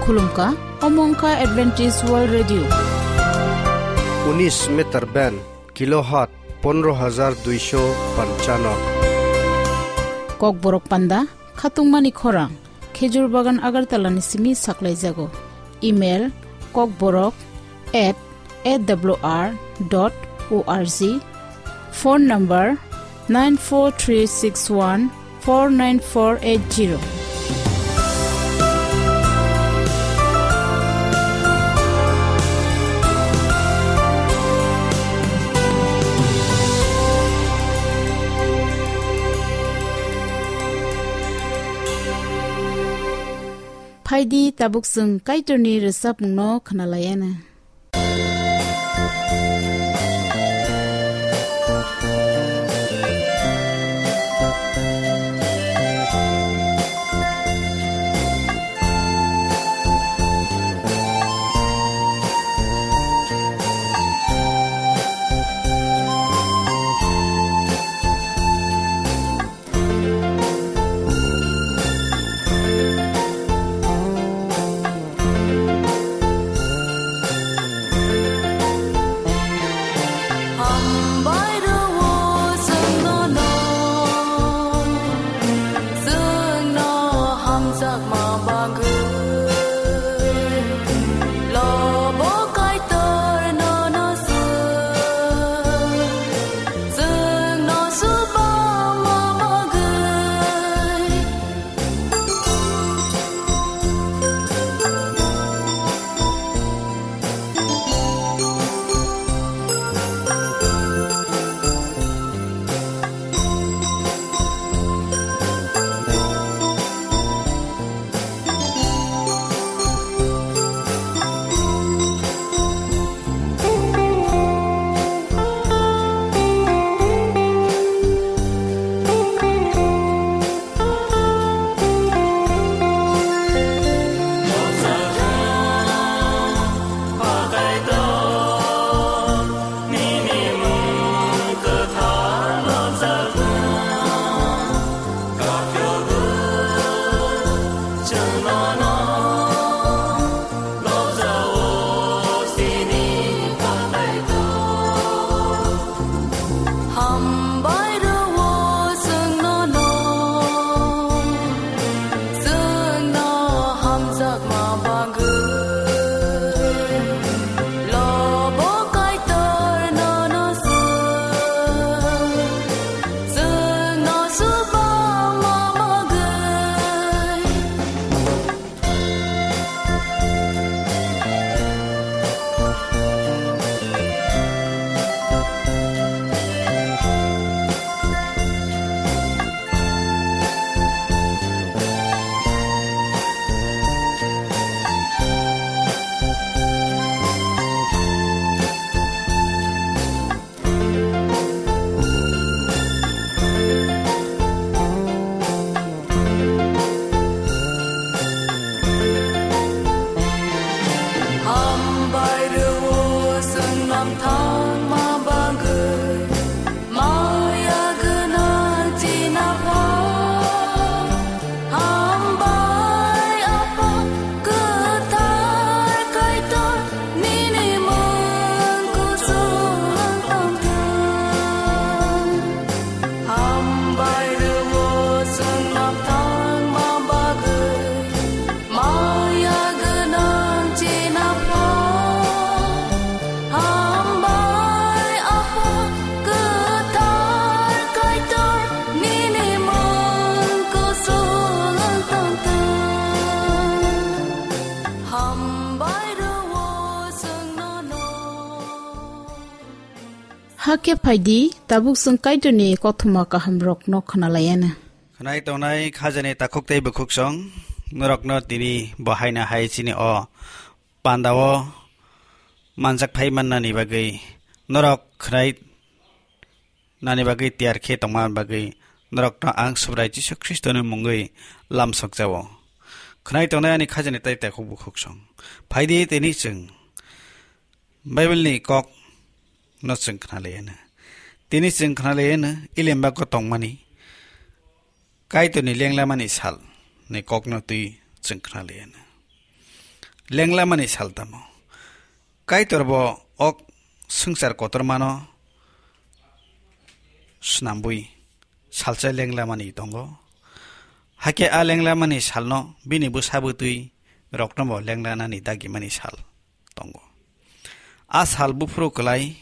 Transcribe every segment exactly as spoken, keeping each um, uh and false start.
Khulumkha, omo wngkha Adventist World Radio. Unis meter band, kilohertz pondro hajar duisho panchano. Kokborok panda, khatungmani khorang, Khejur Bagan Agartala ni simi saklaijago. Email, kokborok at A W R dot O R G. Phone number nine four three six one four nine four eight zero. Phaidi tabuk chwng Kaitorni rwchapmungno khwnalaiana. Hambai rwo chwngno no, chwngno hamjakma bagwi. Lobo Kaitor nono chwng, chwngno chubama bagwi. Hambai rwo chwngno no, chwngno hamjakma bagwi. Lobo Kaitor nono chwng, chwngno chubama bagwi. Hambai rwo chwng nang thangma bagwi, maya gwnang chini Apha. Hambai Apha kwthar Kaitor, nini mung kuchung tongthung. Hambai rwo chwng nang thangma bagwi, maya gwnang chini Apha. Hambai Apha kwthar Kaitor, nini mung kuchung tongthung. Hambai rwo chwng nono. Hakhe phaidi, tabuk chwng Kaitorni kothoma kahamrokno khwnalaiana. Khwnai tongnai khajani takhuk tei bukhuksong, norokno tini bo haino hai chini o pandao manjak phai mannani bagwi, norok khwnai nani bagwi tiyar khe tongma bagwi norokno ang Subrai Jisu Khristoni mungwi lamsok jao. Khwnai tongnai ani khajani tei takhuk bukhuksong. Phaidi tini chwng Bible ni kok no chwng khna laiano. Tini chwng khna laiano, ilemba ko tongmani Kaitorni lenglamani sal ni kokno twi chwng khna laiano. Lenglamani sal tamo? Kaitor bo o swngchar kotormano snambwi salsa lenglamani tongo. Hakhe a lenglamani salno bini bwsa bwtwi rokno bo lenglanani dagimani sal tongo. A sal buphuru kwlai,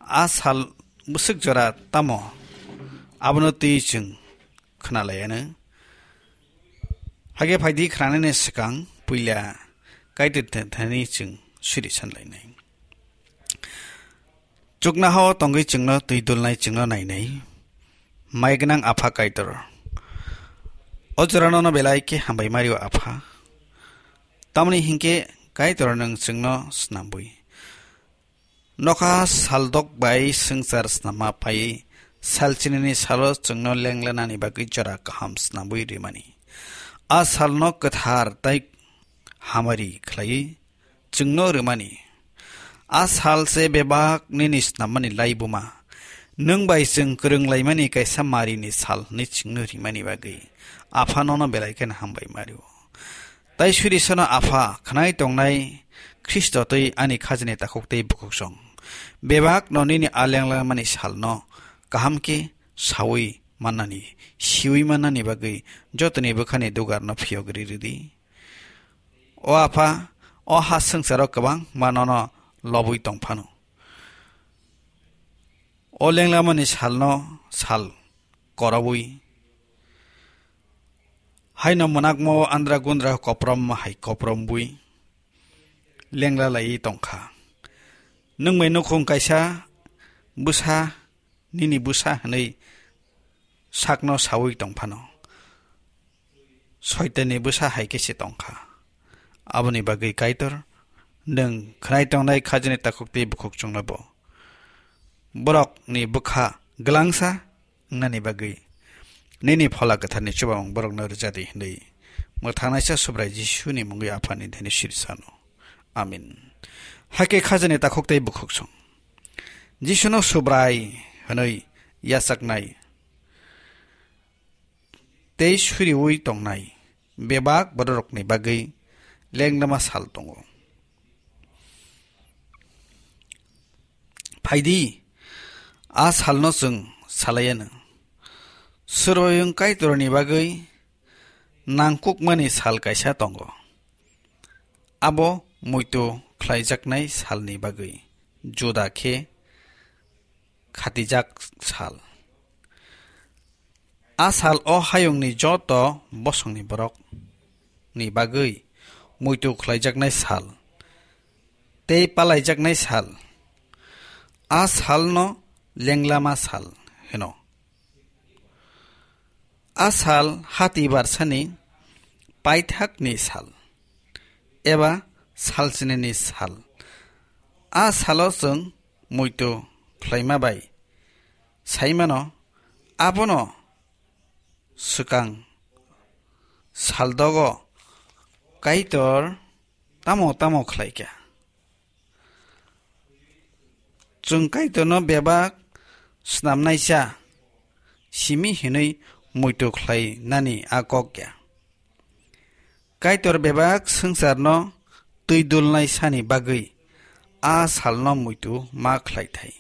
a sal bwswk jora tamo, abono twi chwng khwnalaiano. Hakhe phaidi khwnanani swkang puila Kaitor thani chwng suri sanlainai. Chuknohao tongwi chwngno twi dulnai chwngno nainai. Mai gwnang Apha Kaitor, o jorano no belai khe hambai mario Apha. Tamni hinkhe Kaitor nwng chwngno snambwi nokha saldok bai swngchar snamma pai salchinini salo chwngno lenglanani bagwi jora kaham snambwi rimani. A salno kwthar tai hamari khlaiwi chwngno rwmani. A sal se bebak nini snammani laibuma. Nwng bai chwng kwrwnglaimani kaisa marini sal hwnwi chwngno rimani bagwi Apha nono belai kheno hambai mario. Tai suri sono Apha, khwnai tongnai Khristo twi ani khajini takhuk tei bukhuksong. Bebak no nini a lenglamani salno kaham khe saui mannani, siui mannani bagwi jotoni bwkhani dugarno phiyok ri rwdi. O Apha, o ha swngcharo kwbangma nono lobwi tong phano. O lenglamani salno sal korobwi haino mwnakma o andra gundra koprom hai koprombwi lengla laiwi tongkha. Nwng bai nukhung kaisa bwsa, nini bwsa hwnwi sakno saui tong phano, Soitanni bwsa hai khe se tong kha. Aboni bagwi Kaitor, nwng khwnai tongnai khajini takhuk tei bukhuksongno bo borokni bwkha glangsa wngnani bagwi nini Phola Kwtharni chubamung borokno rwja di hwnwi mwthangnaisa Subrai Jisuni mungwi Aphani thani siri sano. Amen. Hakhe khajini takhuk tei bukhuksong Jisuno Subrai hwnwi yachaknai tei suriui tongnai bebak bororokni bagwi lengdama sal tongo. Phaidi, a salno chwng salaianw. Survoyung Kaitorni bagwi nangkukmani sal kaisa tongo. Abo muitu khlaijaknai salni bagwi juda khe khatijak sal. A sal o hayungni joto bosongni borok ni bagwi muitu khlaijaknai sal tei palaijaknai sal. A salno lenglama sal hino. A sal hati barsani paithakni sal eba salchinini sal. A salo chwng muitu khlaima bai saimano, abono swkang saldogo Kaitor tamo tamo khlaikha. Chwng Kaitorno bebak snamnaisa simi hwnwi muitu khlainani a kok ya. Kaitor bebak swngcharno twi dulnai sani bagwi a salno muitu ma khlaithai.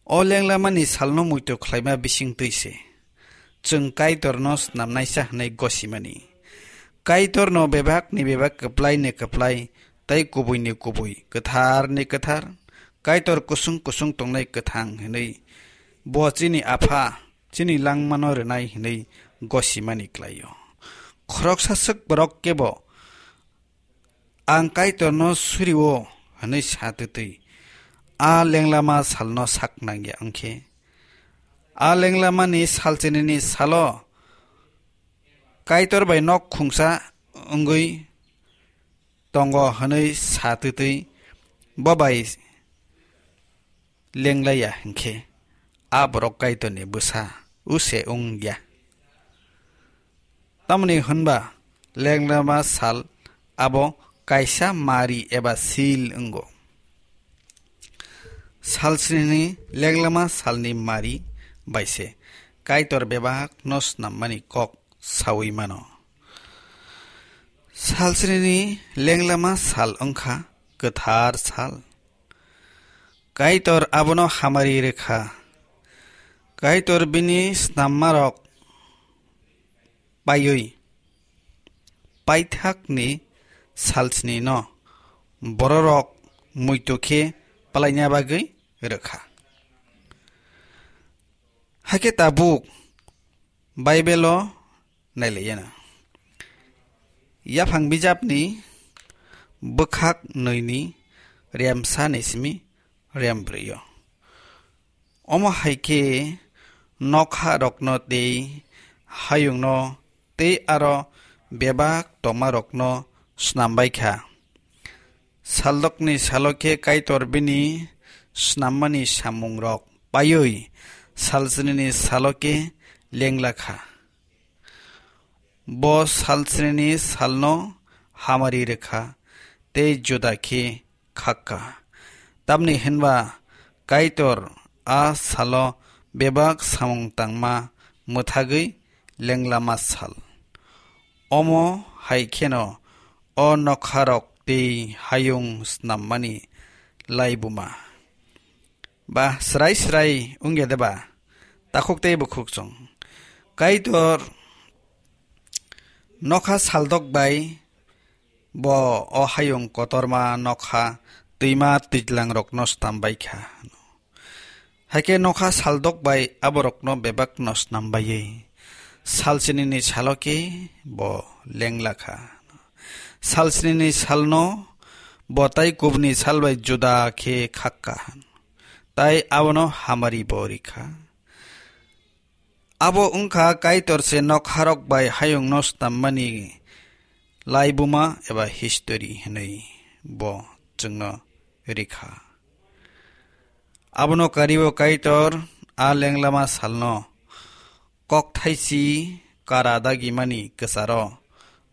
O lenglamani salno muitu khlaima bising twi se chwng Kaitorno snamnaisa hwnwi gosimani. Kaitorno bebakni bebak, kwplaini kwplai tei kubuini kubui, kwtharni kwthar, Kaitor kusung kusung tongnai kwthang hwnwi bo chini Apha, chini langmano rwnai hwnwi gosimani klai-o. Khoroksa swk borok kebo, "Ang Kaitorno suri-o," hwnwi sa twtwi a lenglama salno sak nangya wngkhe, a lenglamani salchinini salo Kaitor bai nok khungsa wngwi tongo hwnwi sa twtwi bo bai lenglaiya hinkhe, a borok Kaitorni bwsa use wngya. Tamoni hwnba lenglama sal abo kaisa mari eba seal wngo. Salsnini lenglama salni mari bai se Kaitor bebakno snammani kok saui mano. Salsnini lenglama sal wngkha kwthar sal. Kaitor abono hamari rwkha. Kaitor bini snammarok paiwi paithakni salsnino bororok muitu khe palaina bagwi rwkha. Hakhe tabuk Baibelo nailaiyana. Yaphang bijapni bwkhak nwini remsa ni simi rembrwio. Omo hai khe nokha rokno tei hayungno tei aro bebak tongma rokno snambai kha. Saldokni salo khe Kaitor bini snammani samungrok paiwi salsnini salo khe lengla kha. Bo salsnini salno hamari rwkha tei juda khe khakka. Tamni hinba Kaitor a salo bebak samung tangma mwthagwi lenglama sal. Omo hai kheno o nokharok tei hayung snammani laibuma. Ba srai srai wngya de ba? Takhuk tei bukhuk chwng. Kaitor nokha saldok bai bo o hayung kotorma nokha twima twijlangrokno stambai kha. Hakhe nokha saldok bai aborokno bebakno snambaiwi salsnini salo khe bo lengla kha. Salsnini salno bo tai kubni sal bai juda khe khakka, tai abono hamari bo rikha. Abo wngkha Kaitor se nokharok bai hayungno snammani laibuma eba history hinwi bo chwngno rikha. Abono karibo Kaitor a lenglama salno kokthaisi kara dagimani kwcharo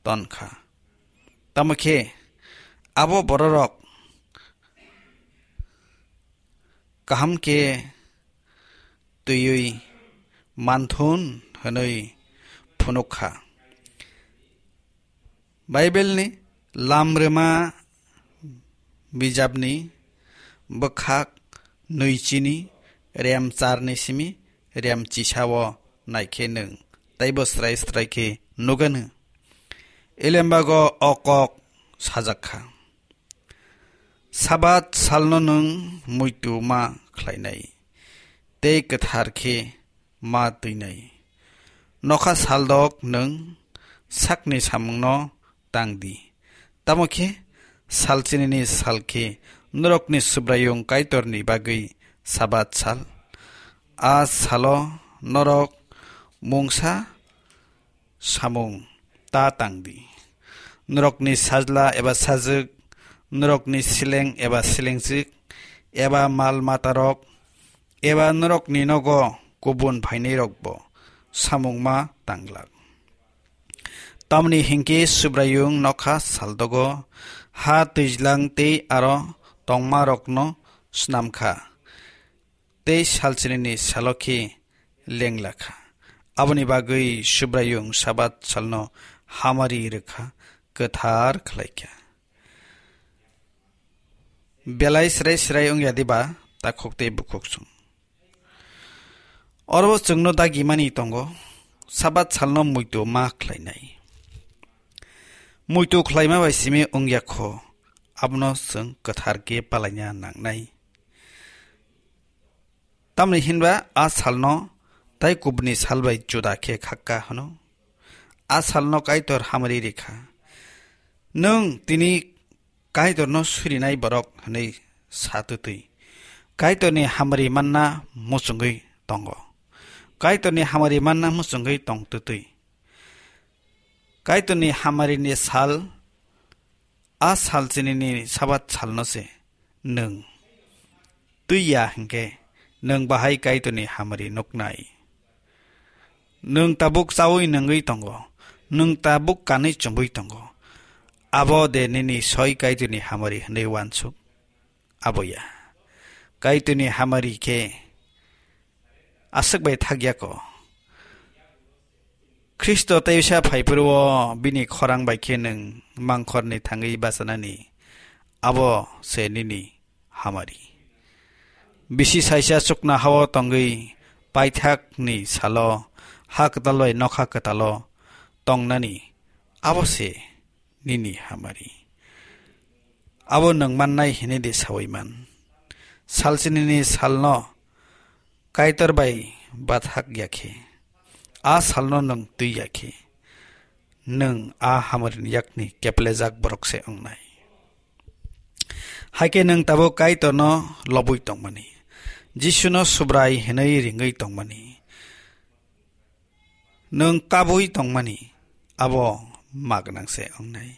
tonkha. Tamo khe abo bororok kaham khe twiwi manthun hwnwi phunuk kha. Baibelni Lamrwma bijapni bwkhak nwichini rem charni simi rem chisao naikhe nwng teibo srai srai khe nugano. Elembago o kok sajak kha. Sabat salno nwng muitu ma khlainai, tei kwthar khe ma twinai. Nokha saldok nwng sakni samungno tang di. Tamo khe salchinini sal khe norokni Subraiyung Kaitorni bagwi Sabat sal. A salo norok mungsa samung ta tang di. Norokni sajla eba sajwk, norokni seleng eba selengjwk, eba mal matarok, eba norokni nogo kubun phainairokbo samung ma tanglak. Tamni hinkhe Subraiyung nokha saldogo ha twijlang tei aro tongmarokno snam kha. Tei salchinini salo khe lengla kha. Aboni bagwi Subraiyung Sabat salno hamari rwkha, kwthar khlai kha. Belai srai srai wngya diba takhuk tei bukhuk chwng? Oro chwngno dagimani tongo, Sabat salno muitu ma khlainai. Muitu khlaima bai simi wngya kho, abono chwng kwthar khe palaina nangnai. Tamni hinba a salno tai kubuni sal bai juda khe khakka hwno. A salno Kaitor hamari rikha. Nwng tini Kaitorno surinai borok hwnwi sa twtwi. Kaitorni hamari manna muchungwi tongo. Kaitorni hamari manna muchungwi tong twtwi. Kaitorni hamarini sal, a salchinini Sabat salno se nwng twi ya hinkhe nwng bahai Kaitorni hamari nuknai. Nwng tabuk chaui nungwi tongo, nwng tabuk kanwi chumui tongo. Abo de nini soi Kaitorni hamari hwnwi uansuk? Abo ya. Kaitorni hamari khe aswk bai thak ya ko. Khristo teisa phaiphuru-o bini khorang bai khe nwng mangkhorni thangwi bachanani, abo se nini hamari. Bisi saisa chuknoha-o tongwi paithakni salo ha kwtal bai nokha kwtalo tongnani, abo se nini hamari. Abo nwng mannai hwnwi de saui man. Salchinini salno Kaitor bai bathak ya khe, a salno nwng twi ya khe, nwng a hamarini yakni keplejak borok se wngnai. Hai khe nwng tabuk Kaitorno lobwi tongmani, Jisuno Subrai hwnwi ringwi tongmani, nwng kabwi tongmani, abo ma gwnang se wngnai.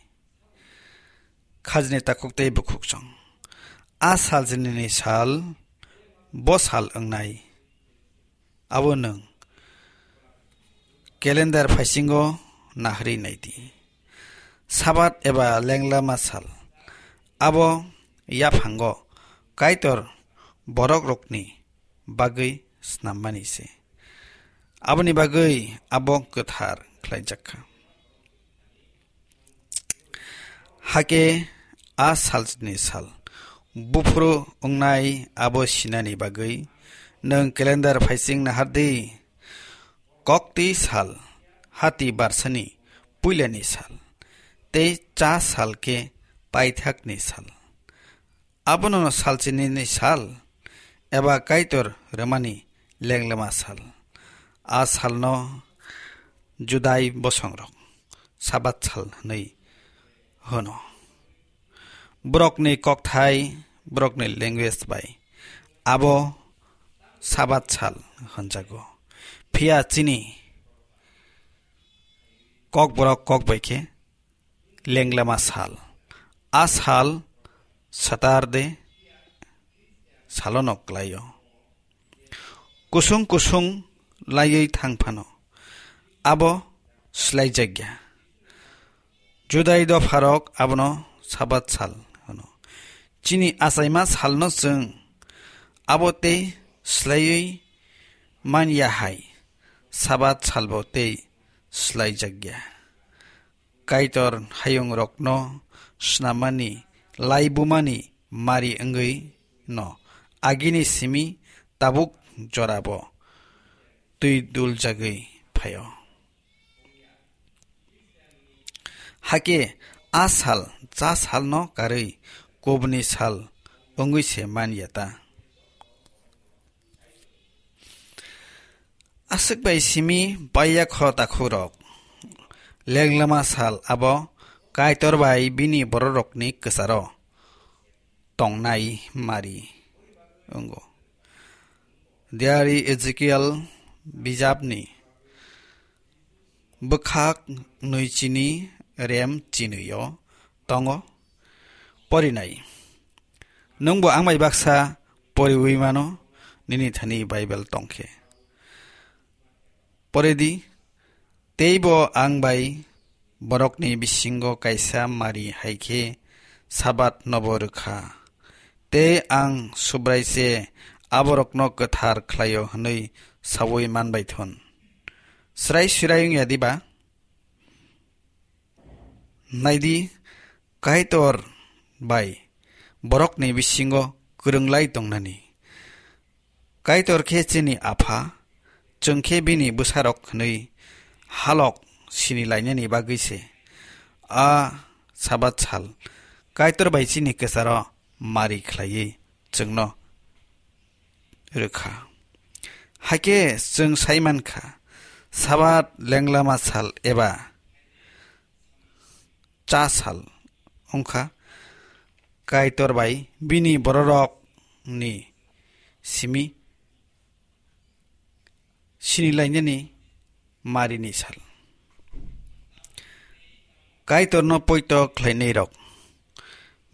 Khajni takhuk tei bukhuk chwng. A salchinini sal, bo sal wngnai. Abo nwng calendar phaisingo naharwi nai di. Sabat eba lenglama sal. Abo yaphango Kaitor borokrokni bagwi snammani se. Aboni bagwi abo kwthar khlaijak kha. Hakhe a salni sal buphuru wngnai abo sinani bagwi nwng calendar phaising nahar di. Kokti sal, hati barsani puilani sal, tei cha sal khe paithakni sal. Abono salchinini sal, eba Kaitor rwmani lenglama sal. A salno Judai bosongrok Sabat sal hwnwi hwno. Borokni kokthai, borokni language bai abo Sabat sal hwnjago. Phiya chini Kokborok kok bai khe lenglama sal. A sal Saturday salono klaio. Kusung kusung laiwi thang phano abo slaijakya. Judai dopharok abono Sabat sal hwno. Chini achaima salno chwng abo tei slaiwi man ya hai, Sabat salbo tei slaijakya. Kaitor hayungrokno snamani laibumani mari wngwi no agini simi tabuk jorabo twi duljagwi phaio. Hakhe a sal cha salno karwi kubuni sal wngwi se man ya ta? Aswk bai simi paiyakho takhukrok, lenglama sal abo Kaitor bai bini bororokni kwcharo tongnai mari wngo. Diari Ezekiel bijapni bwkhak nwichini rem chinwi-o tongo. Porinai. Nwngbo ang bai baksa poriwi mano, nini thani Bible tongkhe. Poridi, teibo ang bai borokni bisingo kaisa mari hai khe Sabat nobo rwkha. Tei ang Subrai se aborokno kwthar khlaio hwnwi saui manbai thun. Srai surai wngya diba? Naidi, Kaitor bai borokni bisingo kwrwnglai tongnani. Kaitor khe chini Apha, chwng khe bini bwsarok hwnwi halok sini lainani bagwi se a Sabat sal Kaitor bai chini kwcharo mari khlaiwi chwngno rwkha. Hakhe chwng sai mankha, Sabat lenglama sal eba cha sal wngkha Kaitor bai bini bororokni simi sinilainani marini sal. Kaitorno poito khlainairok,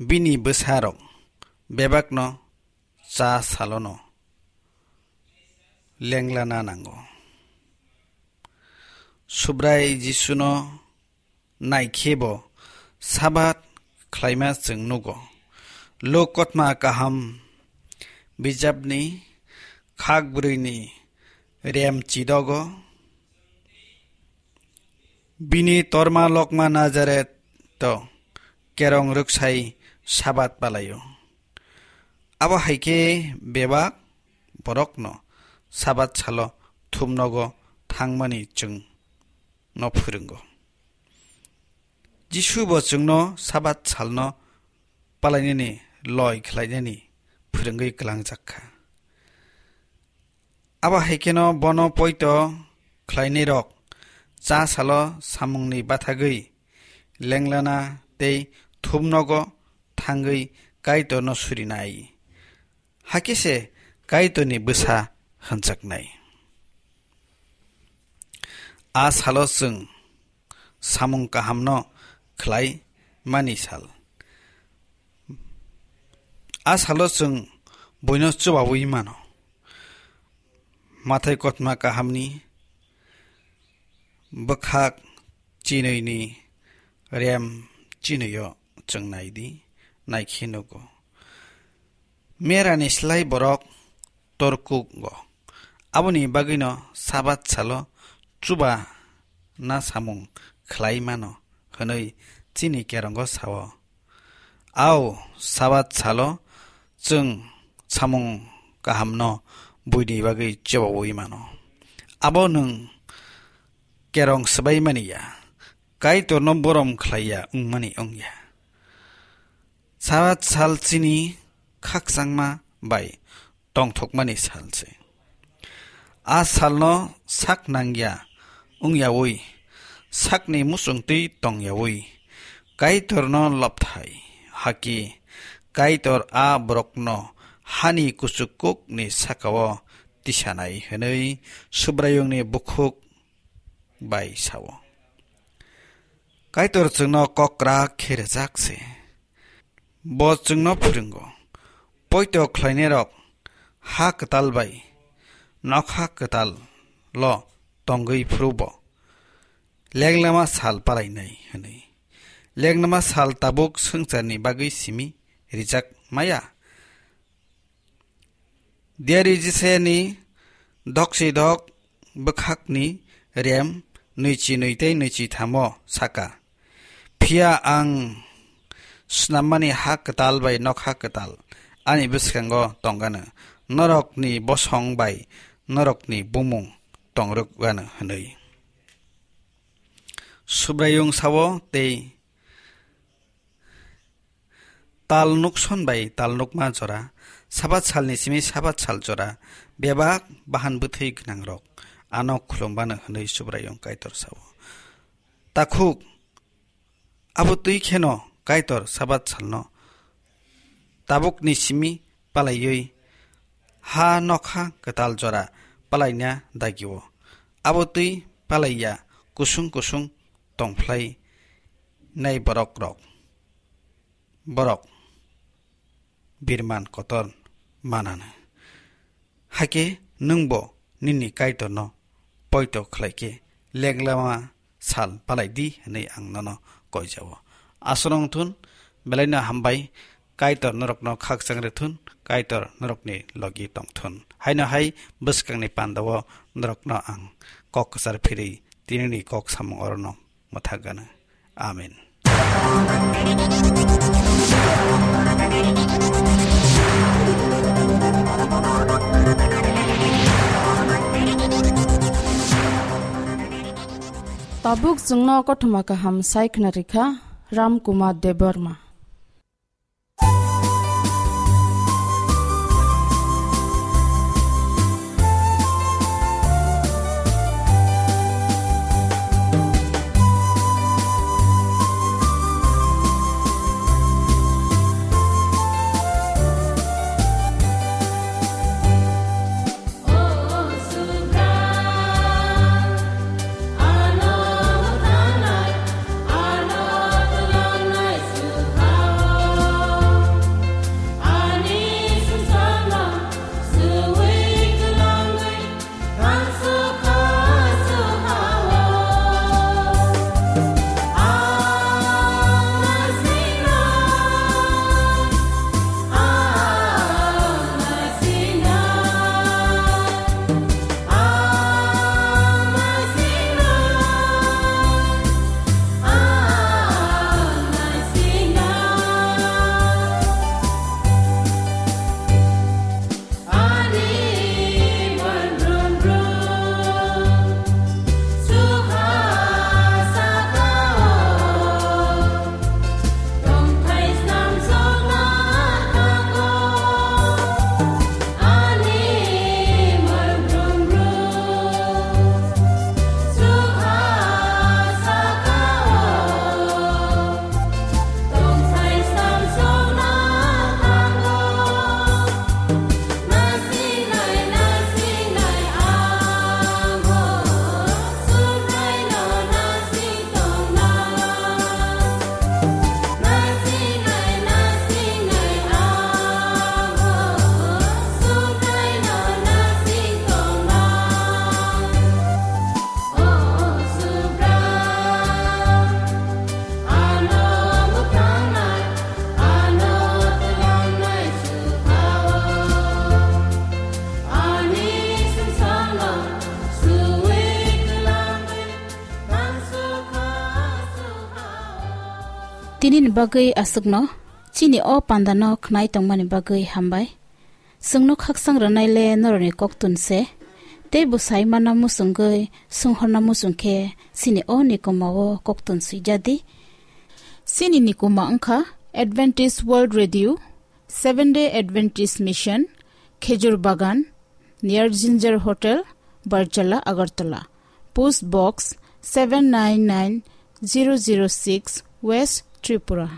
bini bwsarok bebakno cha salono lenglana nango. Subrai Jisuno naikhebo Sabat khlaima chwng nugo. Luk kotma kaham bijapni khak brwini rem chidogo Bini torma lokma Nazaret to kerong rwksai Sabat palaio. Abo hai khe bebak borokno Sabat salo thumnogo thangmani chwngno phwrwngo. Jisu bo chwngno Sabat salno palainani loi khlainani phwrwngwi kwlangjak kha. Abo hai kheno bono poito khlainairok cha salo samungni bathagwi lenglana tei thumnogo thangwi Kaitorno surinai. Hakhe se Kaitorni bwsa hwnjaknai. A salo chwng samung kahamno khlai mani sal. A salo chwng buino chubaui mano. Mathai kothoma kahamni bwkhak chinwini rem chinwio chwng nai di, naikhe nugo. Merani slai borok torkugo. Aboni bagwino Sabat salo chuba na samung khlai mano hwnwi chini kerongo sao. Ao, Sabat salo chwng samung kahamno buini bagwi chubaui mano. Abo nwng kerong swbai mani ya, Kaitorno borom khlai ya wngmani wng ya. Sabat sal chini khakchangma bai tongthokmani sal se. A salno sak nangya wngyaui, sakni muchungtwi tongyaui, Kaitorno lobthai haki, Kaitor a borokno hani kuchuk kukni sakao tisanai hwnwi Subraiyungni bukhuk bai sao. Kaitor chwngno kok krak khe rwjak se. Bo chwngno phwrwngo. Poito khlainairok ha kwtal bai nokha kwtal lo tongwi phuru bo lenglama sal palainai hwnwi. Lenglama sal tabuk swngcharni bagwi simi rijak maya. Diari Jiseni doksi dok bwkhakni rem nwichi nwi tei nwichi thamo saka. Phiya ang snammani ha kwtal bai nokha kwtal ani bwskango tongano, norokni bosong bai norokni bumung tongrwkgano hwnwi. Subraiyung sao tei tal nukson bai tal nukma jora, Sabat salni simi Sabat sal jora, bebak bahan bwthwi gwnangrok ano khulumbano hwnwi Subraiyung Kaitor sao. Takhuk, abo twi kheno Kaitor Sabat salno tabukni simi palaiwi ha nokha kwtal jora palaina dagio. Abo twi palaiya kusung kusung tongphlai nai borok rok. Borok birman kotor manano. Hakhe nwngbo nini Kaitorno poito khlaikhe lenglama sal palai di hwnwi ang nono koijao. Aswrwng thun, belaino hambai, Kaitor norokno khakchang rwthun, Kaitor norokni logi tongthun. Haino hai bwskangni pandao norokno ang kok kwchar phirwi tinini kok samung orono mwthagano. Amen. Tabuk chwngno kothoma kaham sai khna rikha Ram Kumar Debbarma. Nini bagwi aswkno chini o pandano khnai tongmani bagwi hambai. Chwngno khaksang rwnaile norokni koktun se. Tei bwsai mana muchungwi swnghorna muchung khe chini o nikuma o koktun swijadi. Chini nikuma wngkha Adventist World Radio, Seventh Day Adventist Mission, Khejur Bagan, near Ginger Hotel, Barjala, Agartala. Post Box seven nine nine zero zero six, West Tripura.